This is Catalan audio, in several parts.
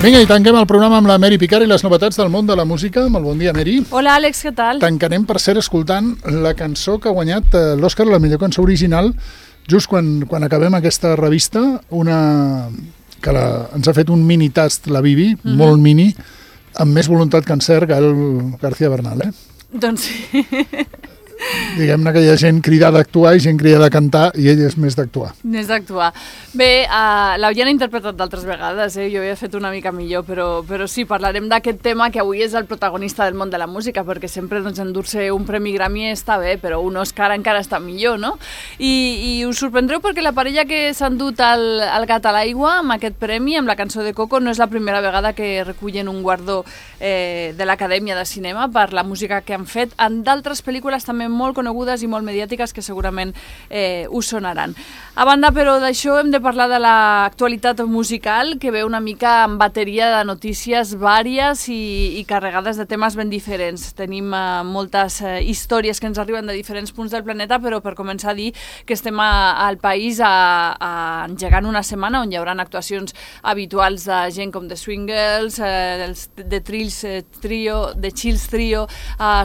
Vinga, i tanquem el programa amb la Mary Picard i les novetats del món de la música. Molt bon dia, Mary. Hola, Àlex, què tal? Tancarem, per cert, escoltant la cançó que ha guanyat l'Òscar, la millor cançó original, just quan acabem aquesta revista, una que ens ha fet un mini tast, la Bibi, molt mini, amb més voluntat que encert, Gael García Bernal, Doncs sí. Diguem-ne que hi ha gent cridada a actuar i gent cridada a cantar, i ell és més d'actuar. Més d'actuar. Bé, l'havien interpretat d'altres vegades, jo havia fet una mica millor, però sí, parlarem d'aquest tema que avui és el protagonista del món de la música, perquè sempre endur-se un Premi Grammy està bé, però un Òscar encara està millor, no? I us sorprendreu perquè la parella que s'ha endut el gat a l'aigua amb aquest premi, amb la cançó de Coco, no és la primera vegada que recullen un guardó de l'Acadèmia de Cinema per la música que han fet en d'altres pel·lícules també molt conegudes i molt mediàtiques que segurament us sonaran. A banda, però, d'això hem de parlar de l'actualitat musical, que ve una mica amb bateria de notícies vàries i carregades de temes ben diferents. Tenim moltes històries que ens arriben de diferents punts del planeta, però per començar a dir que estem al país engegant una setmana on hi haurà actuacions habituals de gent com The Swingles, The Chills Trio,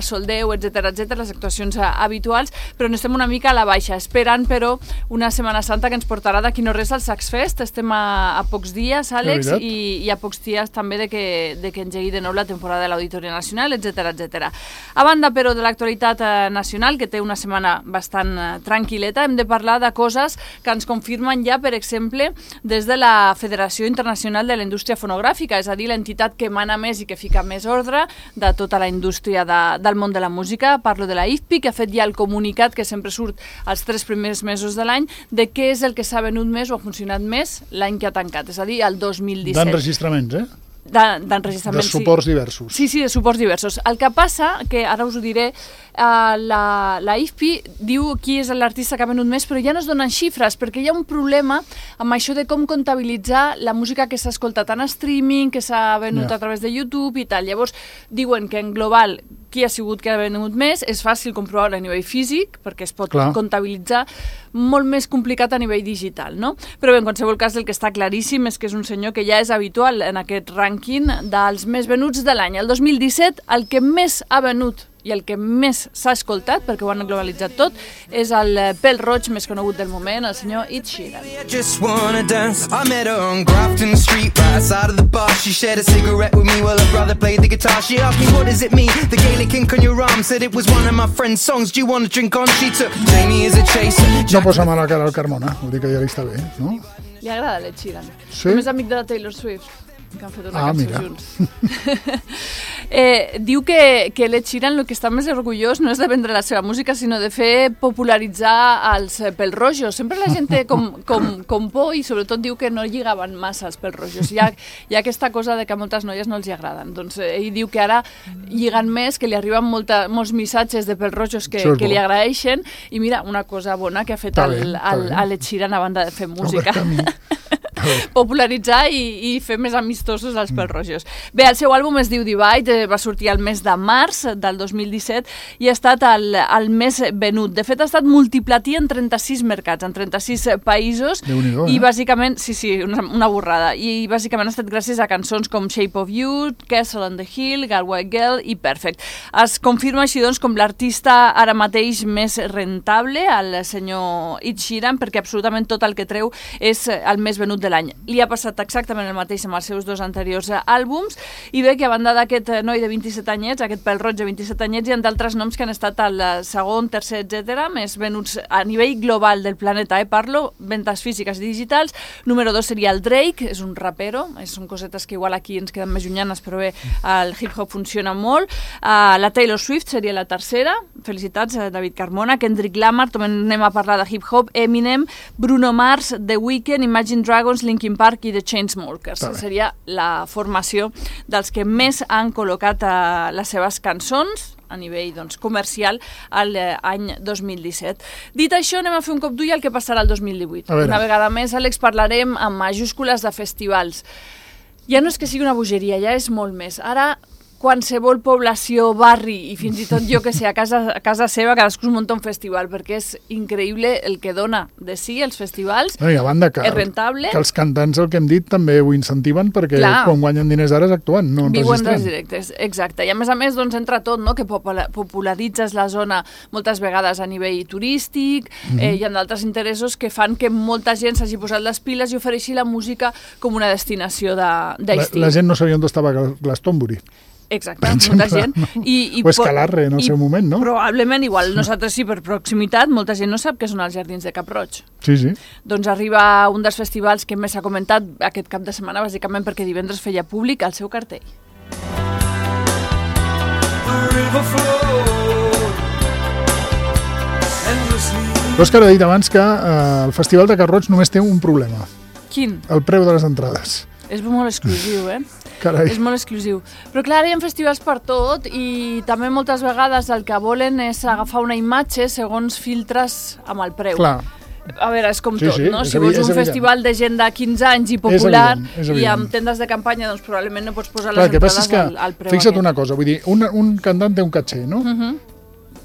Soldeu, etc., les actuacions habituals, però n'estem una mica a la baixa, esperant, però, una Setmana Santa que ens portarà d'aquí no res al Sax Fest. Estem a pocs dies, Àlex, i a pocs dies també de que engegui de nou la temporada de l'Auditori Nacional, etc. A banda, però, de l'actualitat nacional, que té una setmana bastant tranquil·leta, hem de parlar de coses que ens confirmen ja, per exemple, des de la Federació Internacional de la Indústria Fonogràfica, és a dir, l'entitat que mana més i que fica més ordre de tota la indústria del món de la música. Parlo de la IFPI, que ha fet ja el comunicat que sempre surt els 3 primers mesos de l'any de què és el que s'ha venut més o ha funcionat més l'any que ha tancat, és a dir, el 2017. D'enregistraments, d'enregistraments, de suports diversos. Sí, de suports diversos. El que passa, que ara us ho diré, la IFPI diu qui és l'artista que ha venut més, però ja no es donen xifres, perquè hi ha un problema amb això de com comptabilitzar la música que s'ha escoltat en streaming, que s'ha venut a través de YouTube i tal. Llavors, diuen que en global qui ha sigut que ha venut més, és fàcil comprovar a nivell físic, perquè es pot comptabilitzar, molt més complicat a nivell digital, no? Però bé, en qualsevol cas, el que està claríssim és que és un senyor que ja és habitual en aquest rànquing dels més venuts de l'any. El 2017, el que més ha venut i el que més s'ha escoltat, perquè ho han globalitzat tot, és el pèl roig més conegut del moment, el senyor Ed Sheeran. I met her on Grafton Street, right side of the bar. She shared a cigarette with me while her brother played the guitar. She asked me, what does it mean? The Gaelic ink on your arm said it was one of my friend's songs. Do you want to drink on? She took Jamie as a chaser. No posa mala cara al Carmona, vol dir que ja li està bé, no? Li agrada l'Ed Sheeran. Sí? Només amic de la Taylor Swift, que han fet una cançó junts. Diu que l'Ed Sheeran el que està més orgullós no és de vendre la seva música, sinó de fer popularitzar els pèl-rojos. Sempre la gent té com por i sobretot diu que no lligaven massa els pèl-rojos. Hi ha aquesta cosa de que a moltes noies no els hi agraden. Doncs ell diu que ara lliguen més, que li arriben molts missatges de pèl-rojos que li agraeixen, i mira, una cosa bona que ha fet l'Ed Sheeran a banda de fer música. Popularitzar i fer més amistosos els pèl-rojos. Bé, el seu àlbum es diu Divide, va sortir el mes de març del 2017 i ha estat el més venut. De fet, ha estat multiplatí en 36 mercats, en 36 països, i bàsicament, una borrada, i bàsicament ha estat gràcies a cançons com Shape of You, Castle on the Hill, Galway Girl i Perfect. Es confirma així, doncs, com l'artista ara mateix més rentable, el senyor Ed Sheeran, perquè absolutament tot el que treu és el més venut de l'any. Li ha passat exactament el mateix amb els seus 2 anteriors àlbums, i bé que a banda d'aquest noi de 27 anyets, aquest pèl-roig de 27 anyets, hi ha d'altres noms que han estat el segon, tercer, etc., més venuts a nivell global del planeta, parlo, ventes físiques i digitals. Número 2 seria el Drake, és un rapero, són cosetes que igual aquí ens queden més llunyanes, però bé, el hip-hop funciona molt. La Taylor Swift seria la tercera, felicitats, David Carmona. Kendrick Lamar, també anem a parlar de hip-hop, Eminem, Bruno Mars, The Weeknd, Imagine Dragons, Linkin Park i The Chainsmokers. Seria la formació dels que més han col·locat les seves cançons a nivell comercial l'any 2017. Dit això, anem a fer un cop d'ull al que passarà el 2018. Una vegada més, Àlex, parlarem amb majúscules de festivals. Ja no és que sigui una bogeria, ja és molt més. Ara qualsevol població, barri i fins i tot jo que sé, a casa seva cadascú es munta un festival, perquè és increïble el que dona de si els festivals. No, i a banda que, és rentable. Que els cantants, el que hem dit, també ho incentiven perquè quan guanyen diners ara actuen, no enregistren. Viuen dels directes, exacte. I a més, doncs entra tot, no? Que popularitzes la zona moltes vegades a nivell turístic, hi ha d'altres interessos que fan que molta gent s'hagi posat les piles i ofereixi la música com una destinació d'estiu. La gent no sabia on estava Glastonbury. Exacte, molta gent. O Escalarre en el seu moment, no? Probablement, igual nosaltres sí, per proximitat, molta gent no sap què són els Jardins de Cap-roig. Sí. Doncs arriba un dels festivals que més s'ha comentat aquest cap de setmana, bàsicament perquè divendres feia públic el seu cartell. L'Òscar ha dit abans que el Festival de Cap-roig només té un problema. Quin? El preu de les entrades. És molt exclusiu, Carai. És molt exclusiu. Però clar, hi ha festivals per tot i també moltes vegades el que volen és agafar una imatge segons filtres amb el preu. Clar. A veure, és com tot, no? Si vols un festival de gent de 15 anys i popular i amb tendes de campanya, doncs probablement no pots posar les entrades al preu. Fixa't una cosa, vull dir, un cantant té un caché, no?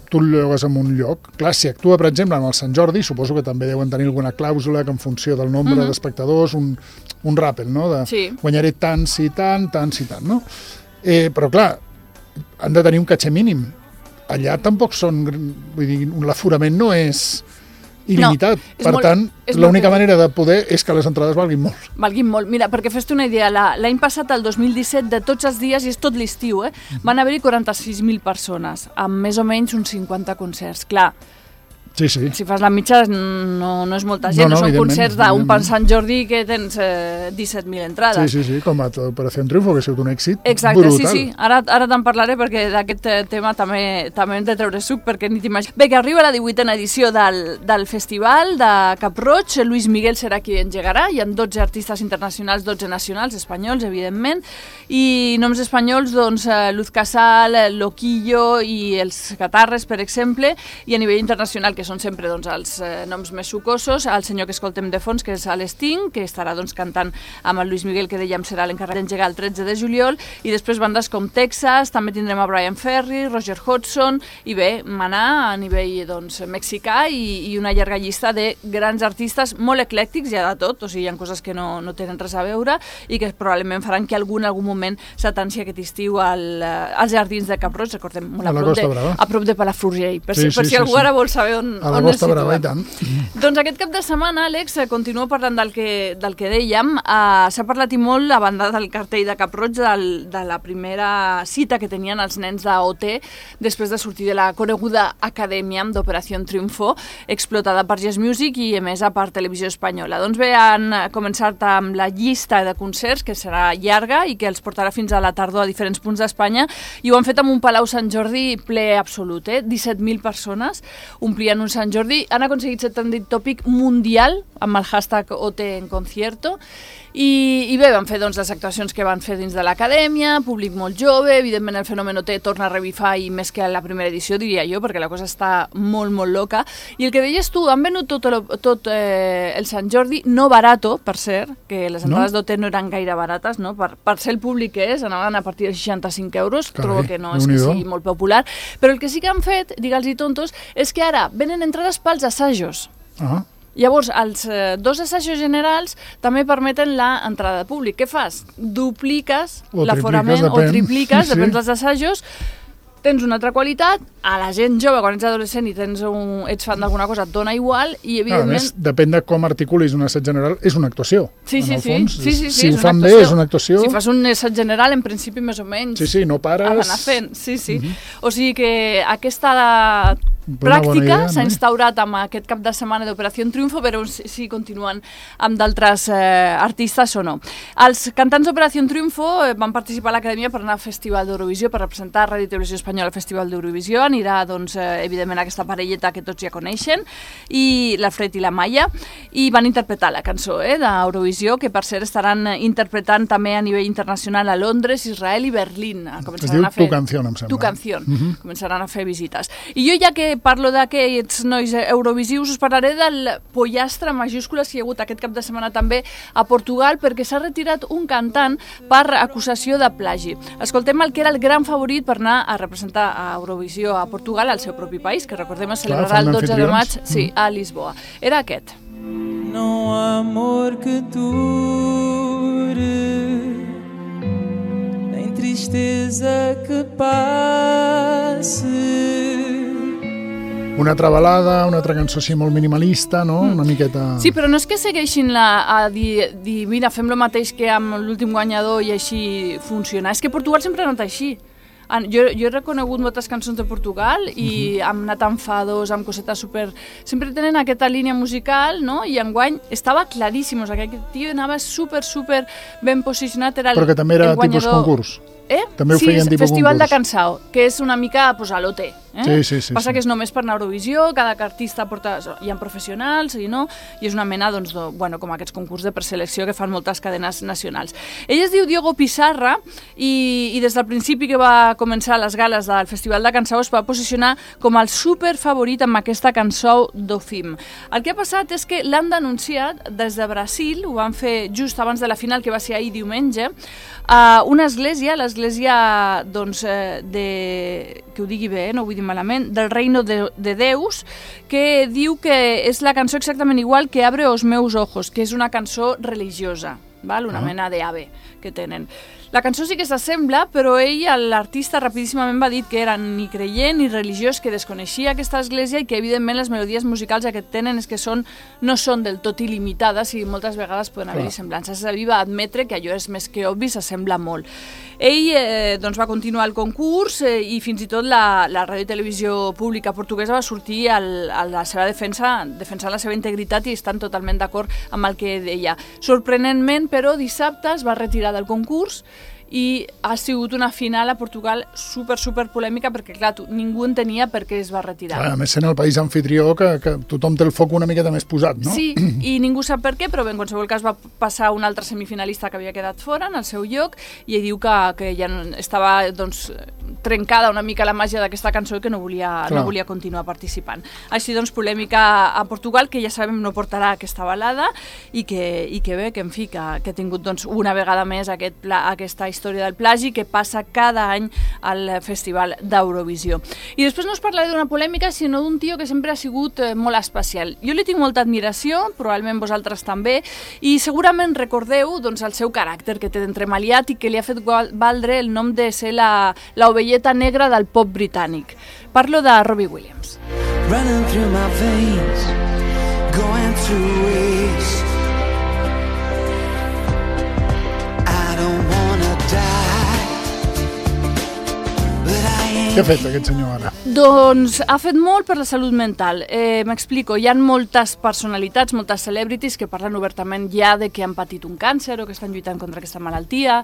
Tu el llogues en un lloc. Clar, si actua, per exemple, en el Sant Jordi, suposo que també deuen tenir alguna clàusula que en funció del nombre d'espectadors, un ràpel, no? Guanyaré tants i tant, no? Però, clar, han de tenir un caché mínim. Allà tampoc són... Vull dir, l'aforament no és il·limitat. Per tant, l'única manera de poder és que les entrades valguin molt. Valguin molt. Mira, perquè fes-te una idea, l'any passat, el 2017, de tots els dies, i és tot l'estiu, van haver-hi 46.000 persones, amb més o menys uns 50 concerts. Clar, Sí. Si fas la mitja no és molta gent, no són concerts d'un Sant Jordi que tens 17.000 entrades. Sí, com a Operació Triunfo, que ha sigut un èxit exacte, brutal. Sí, ara te'n parlaré perquè d'aquest tema també hem de treure suc, perquè ni t'imagines. Bé, que arriba la 18a edició del festival de Cap-roig, Luis Miguel serà qui engegarà, hi ha 12 artistes internacionals, 12 nacionals, espanyols, evidentment, i noms espanyols, doncs, Luz Casal, Loquillo i els Catarres, per exemple, i a nivell internacional, que són sempre doncs, els noms més sucosos, el senyor que escoltem de fons, que és l'Sting, que estarà doncs, cantant amb el Luis Miguel, que dèiem serà l'encarregat d'engegar el 13 de juliol, i després bandes com Texas, també tindrem a Brian Ferry, Roger Hodgson, i bé, Maná a nivell doncs, mexicà, i una llarga llista de grans artistes molt eclèctics, hi ha de tot, o sigui, hi ha coses que no tenen res a veure, i que probablement faran que en algun moment s'atansi aquest estiu als Jardins de Cap-roig, recordem, a prop de Palafrugell, per si algú ara vol saber on a la Costa Brava, i tant. Doncs aquest cap de setmana, Àlex, continua parlant del que dèiem. S'ha parlat i molt, a banda del cartell de Cap-roig, de la primera cita que tenien els nens d'OT després de sortir de la coneguda acadèmia d'Operació Triunfo, explotada per Yes Music i emesa per Televisió Espanyola. Doncs bé, han començat amb la llista de concerts, que serà llarga i que els portarà fins a la tardor a diferents punts d'Espanya, i ho han fet amb un Palau Sant Jordi ple absolut, 17.000 persones omplien un Sant Jordi, han aconseguit ser trending topic mundial amb el hashtag OT en concierto i bé, van fer doncs, les actuacions que van fer dins de l'acadèmia, públic molt jove, evidentment el fenomen OT torna a revifar i més que a la primera edició, diria jo, perquè la cosa està molt, molt loca. I el que deies tu, han venut tot el Sant Jordi, no barato, per cert, que les entrades d'OT no eren gaire barates, no? Per ser el públic que és, anaven a partir de 65 euros, trobo que no és que sigui molt popular, però el que sí que han fet, digue'ls-hi tontos, és que ara venen entrades pels assajos. Llavors, els dos assajos generals també permeten l'entrada de públic. Què fas? Dupliques l'aforament o tripliques, depèn dels assajos, tens una altra qualitat, a la gent jove, quan ets adolescent i ets fan d'alguna cosa, et dona igual, i evidentment... A més, depèn de com articulis un assaig general, és una actuació. Sí, si ho fan bé, és una actuació. Si fas un assaig general, en principi, més o menys... Sí, no pares... Ha d'anar fent, sí. O sigui que aquesta pràctica s'ha instaurat amb aquest cap de setmana d'Operació Triunfo, però si continuen amb d'altres artistes o no. Els cantants d'Operació Triunfo van participar a l'Acadèmia per anar al Festival d'Eurovisió, per representar Ràdio i Televisió Espanyola al Festival d'Eurovisió. Anirà, doncs, evidentment, aquesta parelleta que tots ja coneixen, i l'Alfred i la Maia, i van interpretar la cançó d'Eurovisió, que per cert estaran interpretant també a nivell internacional a Londres, Israel i Berlín. Es diu Tu Canción, em sembla. Tu Canción. Començaran a fer visites. I jo, ja que parlo d'aquests nois eurovisius, us parlaré del pollastre majúscules que hi ha hagut aquest cap de setmana també a Portugal, perquè s'ha retirat un cantant per acusació de plagi. Escoltem el que era el gran favorit per anar a representar a Eurovisió a Portugal, al seu propi país, que recordem es celebrarà el 12 de maig a Lisboa. Era aquest. Não há amor que dure, nem tristeza que passe. Una altra balada, una altra cançó així molt minimalista, no? Una miqueta... Sí, però no és que segueixin a dir mira, fem el mateix que amb l'últim guanyador i així funciona. És que Portugal sempre ha anat així. Jo he reconegut moltes cançons de Portugal i hem anat amb fados, amb cosetes super... Sempre tenen aquesta línia musical, no? I enguany estava claríssim, o sigui, aquest tio anava super ben posicionat, era el guanyador. Però que també era tipus concurs. També ho feien tipus Festival concurs. de Cançó, que és una mica pues, a l'OT. Sí. Passa que és només per anar a Eurovisió, cada artista porta... Hi ha professionals i no, i és una mena, doncs, com aquests concurs de preselecció que fan moltes cadenes nacionals. Ell es diu Diogo Pissarra i des del principi que va començar les gales del Festival de Cançó es va posicionar com el superfavorit amb aquesta cançó d'Ofim. El que ha passat és que l'han denunciat des de Brasil, ho van fer just abans de la final, que va ser ahir diumenge, a una església, l'església, doncs, que ho digui bé, no ho vull dir malament, del Reino de Deus, que diu que és la cançó exactament igual que Abre os meus ojos, que és una cançó religiosa, val? Una mena d'ave que tenen. La cançó sí que s'assembla, però ell, l'artista, rapidíssimament va dir que era ni creient ni religiós, que desconeixia aquesta església i que, evidentment, les melodies musicals que tenen és que no són del tot il·limitades i moltes vegades poden haver-hi semblances. Ell va admetre que allò és més que obvi, s'assembla molt. Ell doncs, va continuar el concurs i fins i tot la ràdio i televisió pública portuguesa va sortir a la seva defensar la seva integritat i estan totalment d'acord amb el que deia. Sorprenentment, però, dissabte es va retirar del concurs i ha sigut una final a Portugal super polèmica perquè, clar, ningú entenia per què es va retirar. A més, sent el país anfitrió que tothom té el foc una miqueta més posat, no? Sí, i ningú sap per què, però bé, en qualsevol cas va passar un altre semifinalista que havia quedat fora en el seu lloc i ell diu que ja estava doncs, trencada una mica la màgia d'aquesta cançó i que no volia continuar participant. Així doncs, polèmica a Portugal, que ja sabem no portarà aquesta balada i que bé, que en fi, que ha tingut doncs, una vegada més aquesta història del plagi que passa cada any al Festival d'Eurovisió. I després no us parlaré d'una polèmica, sinó d'un tio que sempre ha sigut molt especial. Jo li tinc molta admiració, probablement vosaltres també, i segurament recordeu doncs, el seu caràcter que té d'entremaliat i que li ha fet valdre el nom de ser l'ovelleta negra del pop britànic. Parlo de Robbie Williams. Running through my veins, going to waste. Què ha fet aquest senyor ara? Doncs ha fet molt per la salut mental. M'explico, hi ha moltes personalitats, moltes celebrities que parlen obertament ja de que han patit un càncer o que estan lluitant contra aquesta malaltia,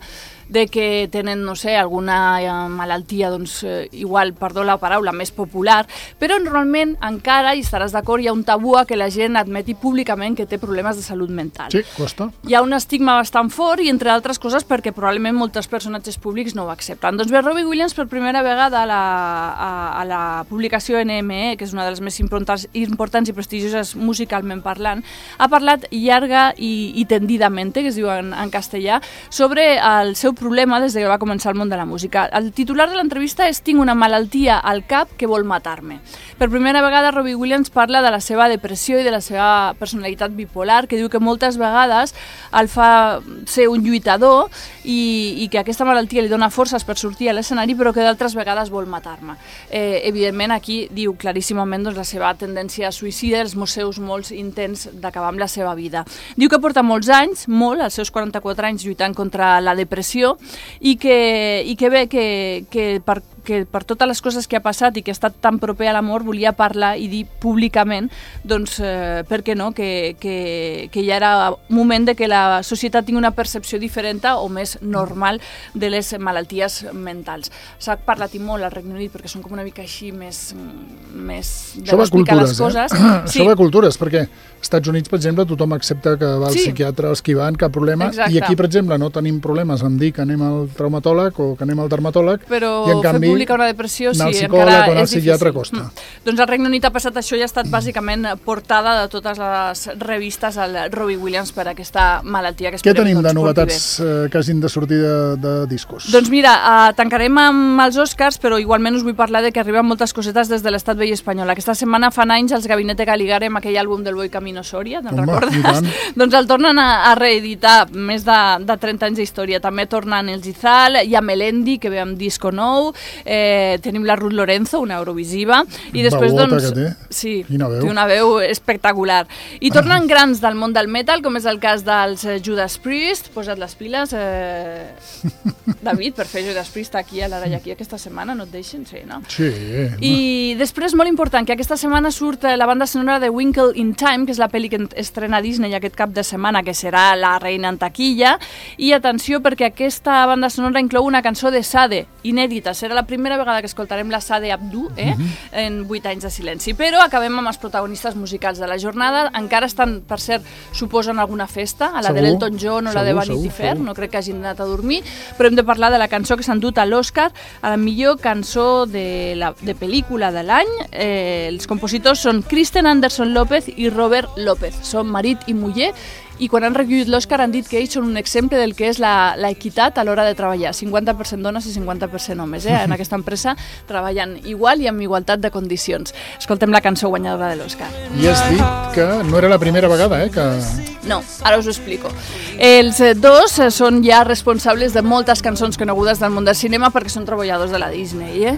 de que tenen, no sé, alguna malaltia, doncs, igual, perdó la paraula, més popular, però normalment encara, i estaràs d'acord, hi ha un tabú a que la gent admeti públicament que té problemes de salut mental. Sí, costa. Hi ha un estigma bastant fort i, entre altres coses, perquè probablement molts personatges públics no ho accepten. Doncs bé, Robbie Williams per primera vegada a la publicació NME, que és una de les més importants i prestigioses musicalment parlant, ha parlat llarga i tendidamente, que es diu en castellà, sobre el seu problema des que va començar el món de la música. El titular de l'entrevista és "Tinc una malaltia al cap que vol matar-me". Per primera vegada Robbie Williams parla de la seva depressió i de la seva personalitat bipolar, que diu que moltes vegades el fa ser un lluitador i que aquesta malaltia li dona forces per sortir a l'escenari, però que d'altres vegades vol matar-me. Evidentment, aquí diu claríssimament doncs, la seva tendència suïcida, els seus molts intents d'acabar amb la seva vida. Diu que porta molts anys, als seus 44 anys, lluitant contra la depressió i que bé, que per totes les coses que ha passat i que ha estat tan proper a l'amor, volia parlar i dir públicament, doncs, per què no, que ja era moment de que la societat tingui una percepció diferent o més normal de les malalties mentals. S'ha parlat i molt al Regne Unit perquè són com una mica així més de explicar les coses. Això va a cultures, perquè als Estats Units, per exemple, tothom accepta que va al psiquiatre esquivant, cap problema, i aquí, per exemple, no tenim problemes en dir que anem al traumatòleg o que anem al dermatòleg, i en canvi pública, una depressió, anar al sí, psicòleg encara o anar al és psiquiatre difícil. costa. Doncs al Regne Unit ha passat això i ha estat bàsicament portada de totes les revistes al Robbie Williams per aquesta malaltia que Què esperem tenim de porti novetats bé. que hagin de sortir de discos? Doncs mira, tancarem amb els Oscars, però igualment us vull parlar de que arriben moltes cosetes des de l'Estat vell espanyol. Aquesta setmana fan anys els Gabinete Caligari amb aquell àlbum del Boi Camino Soria, te'n Home, recordes? i tant. Doncs el tornen a reeditar, més de 30 anys d'història. També tornen el Gizal, hi ha Melendi, que ve amb disco nou, tenim la Ruth Lorenzo, una eurovisiva, i després, Veuota doncs... que té. Sí, Quina veu. té una veu espectacular. I tornen grans del món del metal, com és el cas dels Judas Priest. Posa't les piles, David, per fer Judas Priest aquí a l'Ara i aquí aquesta setmana, no et deixen? Sí, no? Sí. I després, molt important, que aquesta setmana surt la banda sonora de Winkle in Time, que és la pel·li que estrena Disney aquest cap de setmana, que serà La reina en taquilla. I atenció, perquè aquesta banda sonora inclou una cançó de Sade, inèdita. Serà la primera vegada que escoltarem la Sade Abdou, en 8 anys de silenci. Però acabem amb els protagonistes musicals de la jornada. Encara estan, per cert, suposen alguna festa, a la Segur, de l'Elton John o la de Vanity Fair, no crec que hagin anat a dormir, però hem de parlar de la cançó que s'ha endut a l'Oscar a la millor cançó de pel·lícula de l'any. Els compositors són Kristen Anderson López i Robert López. Són marit i muller, i quan han recollit l'Oscar han dit que ells són un exemple del que és l'equitat a l'hora de treballar. 50% dones i 50% homes. En aquesta empresa treballen igual i amb igualtat de condicions. Escoltem la cançó guanyadora de l'Oscar. I has dit que no era la primera vegada, que... No, ara us ho explico. Els dos són ja responsables de moltes cançons conegudes del món del cinema perquè són treballadors de la Disney.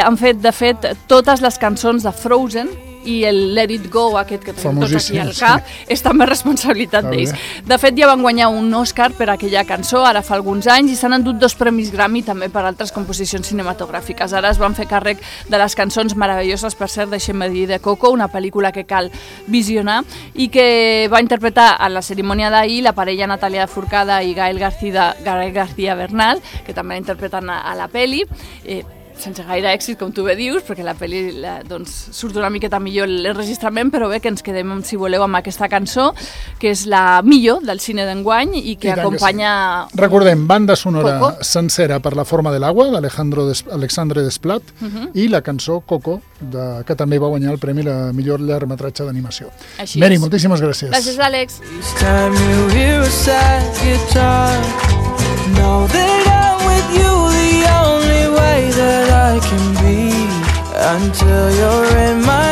Han fet, de fet, totes les cançons de Frozen i el Let It Go, aquest que tenim tots aquí al cap, és també responsabilitat d'ells. De fet, ja van guanyar un Oscar per aquella cançó, ara fa alguns anys, i s'han endut 2 premis Grammy també per altres composicions cinematogràfiques. Ara es van fer càrrec de les cançons meravelloses, per cert, deixem-me dir, de Coco, una pel·lícula que cal visionar, i que va interpretar a la cerimònia d'ahir la parella Natalia Forcada i Gael García Bernal, que també la interpreten a la pel·li, sense gaire èxit, com tu bé dius, perquè la pel·li doncs, surt una miqueta millor l'enregistrament, però bé que ens quedem, si voleu, amb aquesta cançó, que és la millor del cine d'enguany i que acompanya... Sí. Recordem, banda sonora Coco sencera per La forma del agua, d'Alexandre Desplat, i la cançó Coco, que també va guanyar el premi la millor llargmetratge d'animació. Mary, moltíssimes gràcies. Gràcies, Àlex. Each time you hear a sad guitar, know that I'm with you the only way that I can be until you're in my